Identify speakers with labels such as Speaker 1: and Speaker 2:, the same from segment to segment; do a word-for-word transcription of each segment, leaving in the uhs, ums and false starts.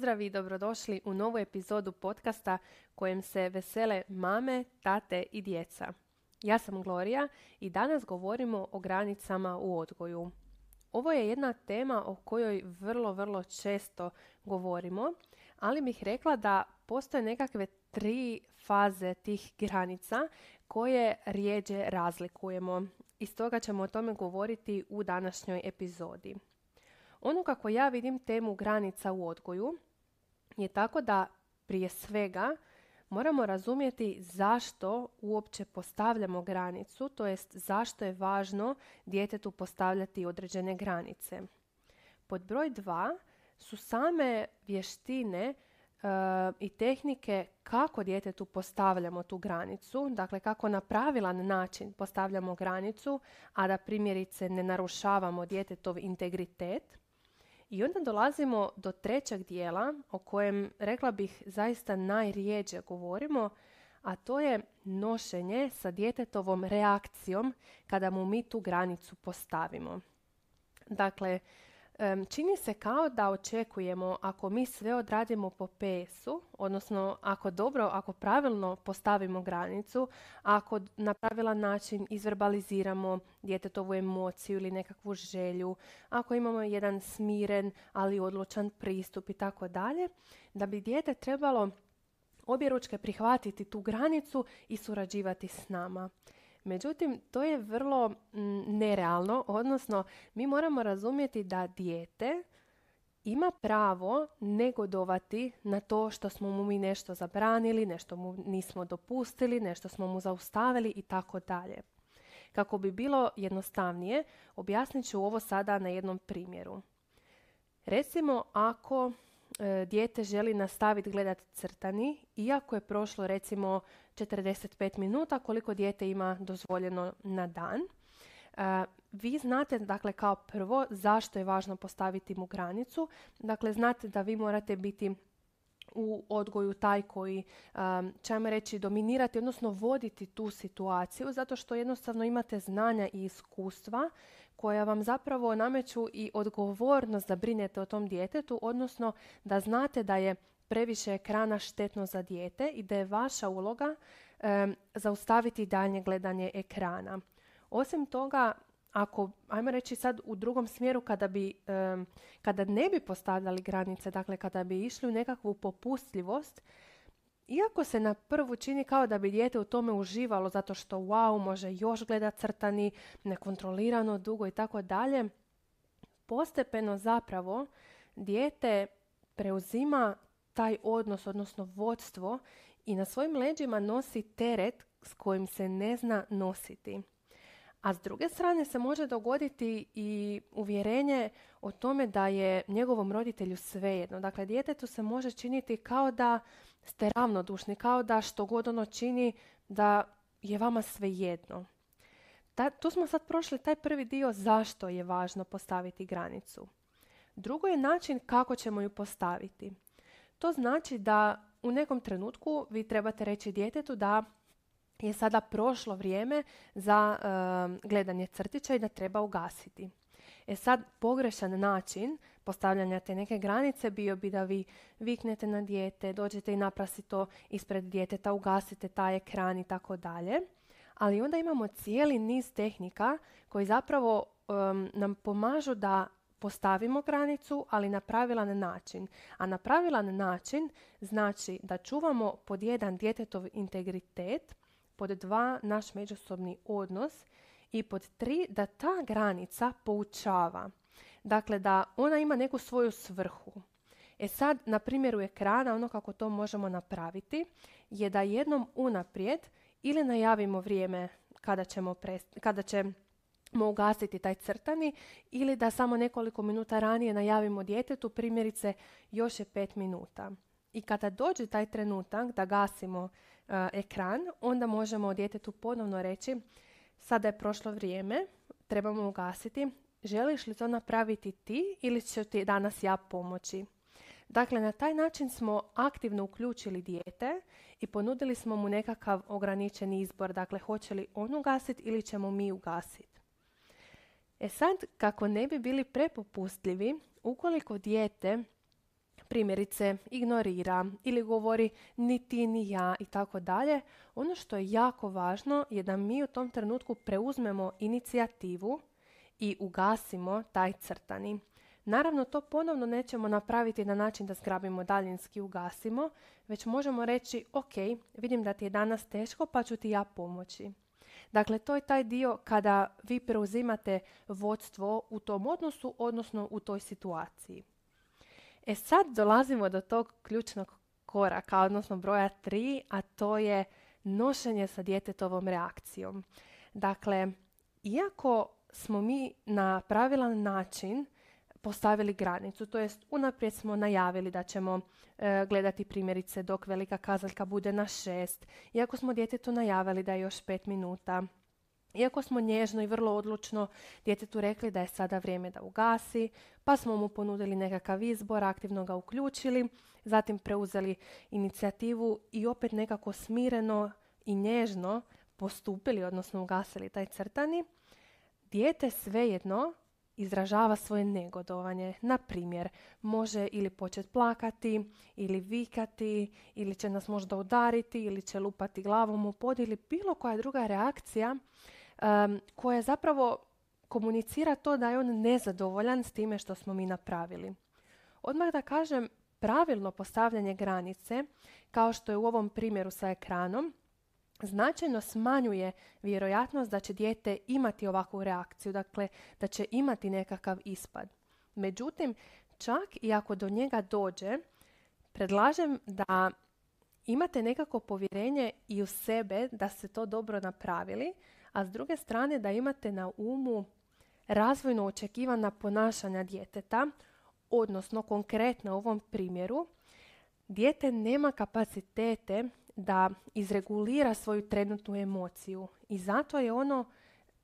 Speaker 1: Pozdrav i dobrodošli u novu epizodu podcasta kojem se vesele mame, tate i djeca. Ja sam Gloria i danas govorimo o granicama u odgoju. Ovo je jedna tema o kojoj vrlo, vrlo često govorimo, ali bih rekla da postoje nekakve tri faze tih granica koje rijeđe razlikujemo. I stoga ćemo o tome govoriti u današnjoj epizodi. Ono kako ja vidim temu granica u odgoju je tako da prije svega moramo razumjeti zašto uopće postavljamo granicu, to jest zašto je važno djetetu postavljati određene granice. Pod broj dva su same vještine uh, i tehnike kako djetetu postavljamo tu granicu, dakle kako na pravilan način postavljamo granicu, a da primjerice ne narušavamo djetetov integritet. I onda dolazimo do trećeg dijela o kojem, rekla bih, zaista najrijeđe govorimo, a to je nošenje sa djetetovom reakcijom kada mu mi tu granicu postavimo. Dakle, čini se kao da očekujemo ako mi sve odradimo po pe esu, odnosno ako dobro, ako pravilno postavimo granicu, ako na pravilan način izverbaliziramo djetetovu emociju ili nekakvu želju, ako imamo jedan smiren ali odlučan pristup i tako dalje, da bi dijete trebalo objeručke prihvatiti tu granicu i surađivati s nama. Međutim, to je vrlo m, nerealno, odnosno mi moramo razumjeti da dijete ima pravo negodovati na to što smo mu mi nešto zabranili, nešto mu nismo dopustili, nešto smo mu zaustavili i tako dalje. Kako bi bilo jednostavnije, objasnit ću ovo sada na jednom primjeru. Recimo, ako e, dijete želi nastaviti gledati crtani, iako je prošlo recimo četrdeset pet minuta koliko dijete ima dozvoljeno na dan. E, vi znate, dakle, kao prvo zašto je važno postaviti mu granicu. Dakle, znate da vi morate biti u odgoju taj koji um, će vam reći dominirati, odnosno voditi tu situaciju, zato što jednostavno imate znanja i iskustva koja vam zapravo nameću i odgovornost da brinete o tom djetetu, odnosno da znate da je previše ekrana štetno za dijete i da je vaša uloga um, zaustaviti daljnje gledanje ekrana. Osim toga, ako, ajmo reći sad u drugom smjeru, kada, bi, um, kada ne bi postavljali granice, dakle kada bi išli u nekakvu popustljivost, iako se na prvu čini kao da bi dijete u tome uživalo zato što wow, može još gledat crtani, nekontrolirano, dugo i tako dalje, postepeno zapravo dijete preuzima taj odnos, odnosno vodstvo i na svojim leđima nosi teret s kojim se ne zna nositi. A s druge strane se može dogoditi i uvjerenje o tome da je njegovom roditelju svejedno. Dakle, djetetu se može činiti kao da ste ravnodušni, kao da što god ono čini da je vama svejedno. Ta, tu smo sad prošli taj prvi dio zašto je važno postaviti granicu. Drugo je način kako ćemo ju postaviti. To znači da u nekom trenutku vi trebate reći djetetu da je sada prošlo vrijeme za uh, gledanje crtića i da treba ugasiti. E sad, pogrešan način postavljanja te neke granice bio bi da vi viknete na dijete, dođete i naprasite to ispred djeteta, ugasite taj ekran i tako dalje. Ali onda imamo cijeli niz tehnika koji zapravo um, nam pomažu da postavimo granicu, ali na pravilan način. A na pravilan način znači da čuvamo pod jedan djetetov integritet, pod dva naš međusobni odnos i pod tri da ta granica poučava. Dakle, da ona ima neku svoju svrhu. E sad, na primjeru ekrana, ono kako to možemo napraviti je da jednom unaprijed ili najavimo vrijeme kada ćemo, prest- kada ćemo ugasiti taj crtani ili da samo nekoliko minuta ranije najavimo djetetu, primjerice još je pet minuta. I kada dođe taj trenutak da gasimo uh, ekran, onda možemo djetetu ponovno reći sada je prošlo vrijeme, trebamo ugasiti, želiš li to napraviti ti ili ću ti danas ja pomoći? Dakle, na taj način smo aktivno uključili dijete i ponudili smo mu nekakav ograničeni izbor, dakle hoće li on ugasiti ili ćemo mi ugasiti. E sad, kako ne bi bili prepopustljivi, ukoliko dijete primjerice ignorira ili govori ni ti ni ja i tako dalje, ono što je jako važno je da mi u tom trenutku preuzmemo inicijativu i ugasimo taj crtani. Naravno, to ponovno nećemo napraviti na način da zgrabimo daljinski i ugasimo, već možemo reći, ok, vidim da ti je danas teško, pa ću ti ja pomoći. Dakle, to je taj dio kada vi preuzimate vodstvo u tom odnosu, odnosno u toj situaciji. E sad dolazimo do tog ključnog koraka, odnosno broja tri, a to je nošenje sa djetetovom reakcijom. Dakle, iako smo mi na pravilan način postavili granicu, to jest unaprijed smo najavili da ćemo e, gledati primjerice dok velika kazaljka bude na šest, iako smo djetetu najavili da je još pet minuta, iako smo nježno i vrlo odlučno djetetu rekli da je sada vrijeme da ugasi, pa smo mu ponudili nekakav izbor, aktivno ga uključili, zatim preuzeli inicijativu i opet nekako smireno i nježno postupili, odnosno ugasili taj crtani, dijete svejedno izražava svoje negodovanje. Na primjer, može ili početi plakati, ili vikati, ili će nas možda udariti, ili će lupati glavom u pod, ili bilo koja druga reakcija um, koja zapravo komunicira to da je on nezadovoljan s time što smo mi napravili. Odmah da kažem, pravilno postavljanje granice, kao što je u ovom primjeru sa ekranom, značajno smanjuje vjerojatnost da će dijete imati ovakvu reakciju, dakle da će imati nekakav ispad. Međutim, čak i ako do njega dođe, predlažem da imate nekako povjerenje i u sebe da ste to dobro napravili, a s druge strane da imate na umu razvojno očekivana ponašanja djeteta, odnosno konkretno u ovom primjeru, dijete nema kapacitete da izregulira svoju trenutnu emociju i zato je ono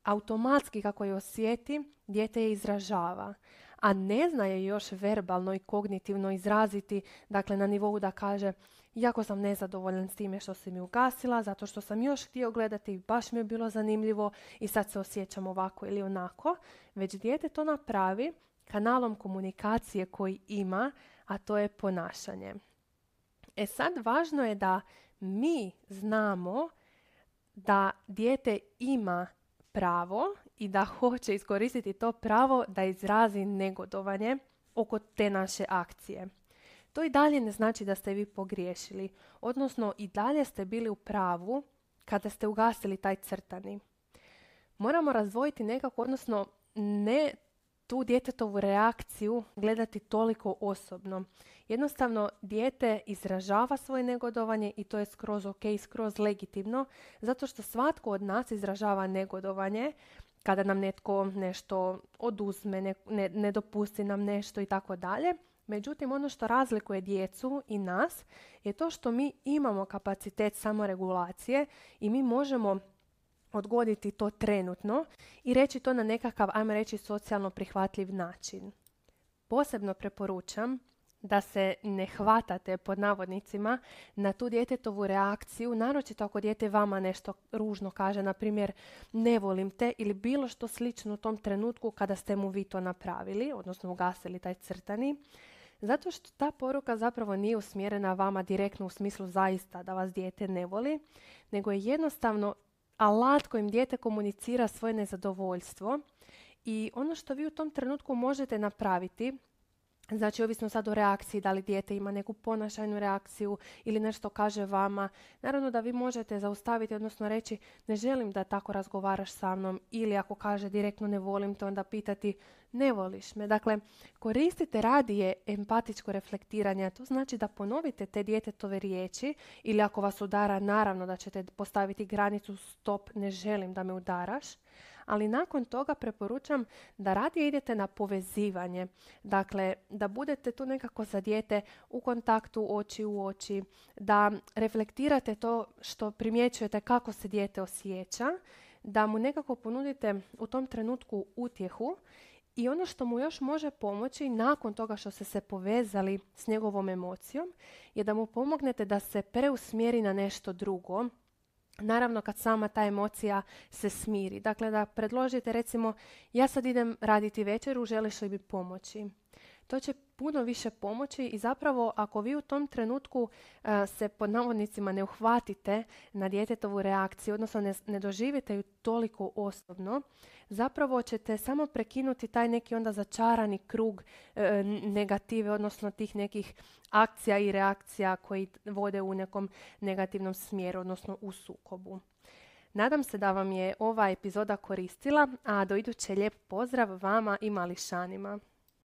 Speaker 1: automatski kako je osjeti, dijete je izražava, a ne zna je još verbalno i kognitivno izraziti, dakle na nivou da kaže jako sam nezadovoljan s time što si mi ugasila, zato što sam još htio gledati i baš mi je bilo zanimljivo i sad se osjećam ovako ili onako, već dijete to napravi kanalom komunikacije koji ima, a to je ponašanje. E sad važno je da mi znamo da dijete ima pravo i da hoće iskoristiti to pravo da izrazi negodovanje oko te naše akcije. To i dalje ne znači da ste vi pogriješili, odnosno i dalje ste bili u pravu kada ste ugasili taj crtani. Moramo razdvojiti nekako, odnosno ne tu djetetovu reakciju gledati toliko osobno. Jednostavno, dijete izražava svoje negodovanje i to je skroz ok, skroz legitimno, zato što svatko od nas izražava negodovanje kada nam netko nešto oduzme, ne, ne, ne dopusti nam nešto i tako dalje. Međutim, ono što razlikuje djecu i nas je to što mi imamo kapacitet samoregulacije i mi možemo odgoditi to trenutno i reći to na nekakav, ajmo reći, socijalno prihvatljiv način. Posebno preporučam da se ne hvatate pod navodnicima na tu djetetovu reakciju, naročito ako dijete vama nešto ružno kaže, na primjer ne volim te ili bilo što slično u tom trenutku kada ste mu vi to napravili, odnosno ugasili taj crtani, zato što ta poruka zapravo nije usmjerena vama direktno u smislu zaista da vas dijete ne voli, nego je jednostavno alat kojim dijete komunicira svoje nezadovoljstvo i ono što vi u tom trenutku možete napraviti, znači ovisno sad o reakciji, da li dijete ima neku ponašajnu reakciju ili nešto kaže vama, naravno da vi možete zaustaviti, odnosno reći ne želim da tako razgovaraš sa mnom, ili ako kaže direktno ne volim te, onda pitati ne voliš me. Dakle, koristite radije empatičko reflektiranje, to znači da ponovite te djetetove riječi ili ako vas udara, naravno da ćete postaviti granicu stop, ne želim da me udaraš. Ali nakon toga preporučam da radije idete na povezivanje. Dakle, da budete tu nekako za dijete u kontaktu oči u oči, da reflektirate to što primjećujete kako se dijete osjeća, da mu nekako ponudite u tom trenutku utjehu i ono što mu još može pomoći nakon toga što ste se povezali s njegovom emocijom je da mu pomognete da se preusmjeri na nešto drugo. Naravno kad sama ta emocija se smiri. Dakle da predložite recimo ja sad idem raditi večeru, želiš li mi pomoći? To će puno više pomoći i zapravo ako vi u tom trenutku uh, se pod navodnicima ne uhvatite na djetetovu reakciju, odnosno ne, ne doživite ju toliko osobno, zapravo ćete samo prekinuti taj neki onda začarani krug uh, negative, odnosno tih nekih akcija i reakcija koji vode u nekom negativnom smjeru, odnosno u sukobu. Nadam se da vam je ova epizoda koristila, a do iduće lijep pozdrav vama i mališanima.